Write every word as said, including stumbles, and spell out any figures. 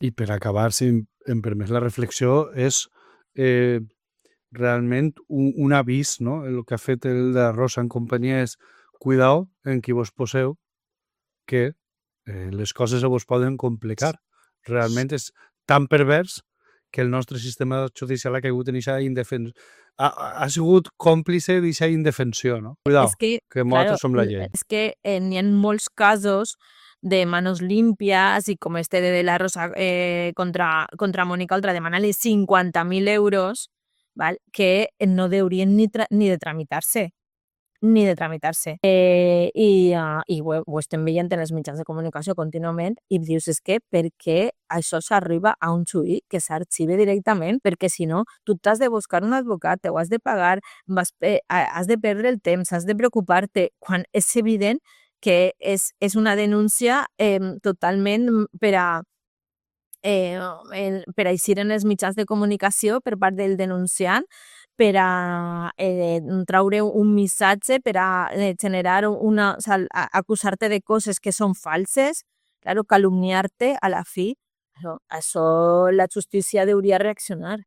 I per acabar, si em permets la reflexió, és eh, realment un, un avís, no? El que ha fet el de Rosa en companyia és cuidao en qui vos poseu, que eh, les coses se vos poden complicar. Realment és tan pervers que el nostre sistema judicial ha caigut en aquesta indefensió. Ha, ha sigut còmplice d'aquesta indefensió, no? Es Cuidao, que, que claro, nosaltres som la llei. es que eh, n'hi ha molts casos de manos limpias y como este de, de la Rosa eh, contra, contra Mónica Oltra demanant-li cinquanta mil euros, val? Que no deurien ni, tra ni de tramitar-se ni de tramitar-se. Eh, I uh, i ho, ho estem veient en els mitjans de comunicació contínuament i dius, és que per què això s'arriba a un juí que s'arxive directament? Perquè si no, tu t'has de buscar un advocat, ho has de pagar, vas, eh, has de perdre el temps, has de preocupar-te, quan és evident que és, és una denúncia eh, totalment per a eh, el, per a eixir en els mitjans de comunicació per part del denunciant, per a eh, traure un missatge, per a eh, generar una... O sea, acusar-te de coses que són falses, claro, calumniar-te a la fi. Això, això la justícia hauria reaccionar.